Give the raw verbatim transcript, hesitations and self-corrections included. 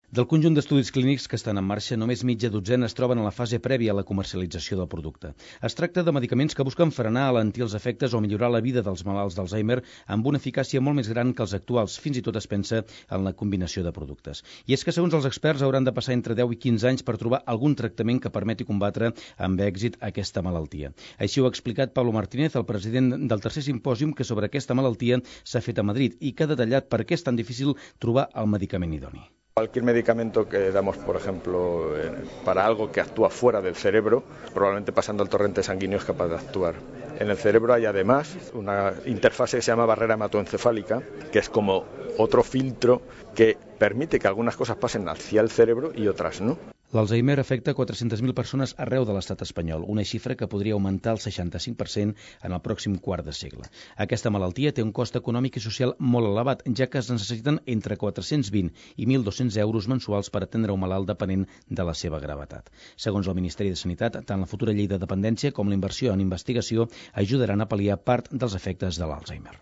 Del conjunt d'estudis clínics que estan en marxa, només mitja dotzena es troben a la fase prèvia a la comercialització del producte. Es tracta de medicaments que busquen frenar, alentir els efectes o millorar la vida dels malalts d'Alzheimer amb una eficàcia molt més gran que els actuals. Fins i tot es pensa en la combinació de productes. I és que, segons els experts, hauran de passar entre deu i quinze anys per trobar algun tractament que permeti combatre amb èxit aquesta malaltia. Així ho ha explicat Pablo Martínez, el president del tercer simpòsium que sobre aquesta malaltia s'ha fet a Madrid i que ha detallat per què és tan difícil trobar el medicament idoni. Cualquier medicamento que damos, por ejemplo, para algo que actúa fuera del cerebro, probablemente pasando el torrente sanguíneo es capaz de actuar. En el cerebro hay además una interfase que se llama barrera hematoencefálica, que es como otro filtro que permite que algunas cosas pasen hacia el cerebro y otras no. L'Alzheimer afecta quatre-centes mil persones arreu de l'estat espanyol, una xifra que podria augmentar el seixanta-cinc per cent en el pròxim quart de segle. Aquesta malaltia té un cost econòmic i social molt elevat, ja que es necessiten entre quatre-cents vint i mil dos-cents euros mensuals per atendre un malalt depenent de la seva gravetat. Segons el Ministeri de Sanitat, tant la futura llei de dependència com la inversió en investigació ajudaran a pal·liar part dels efectes de l'Alzheimer.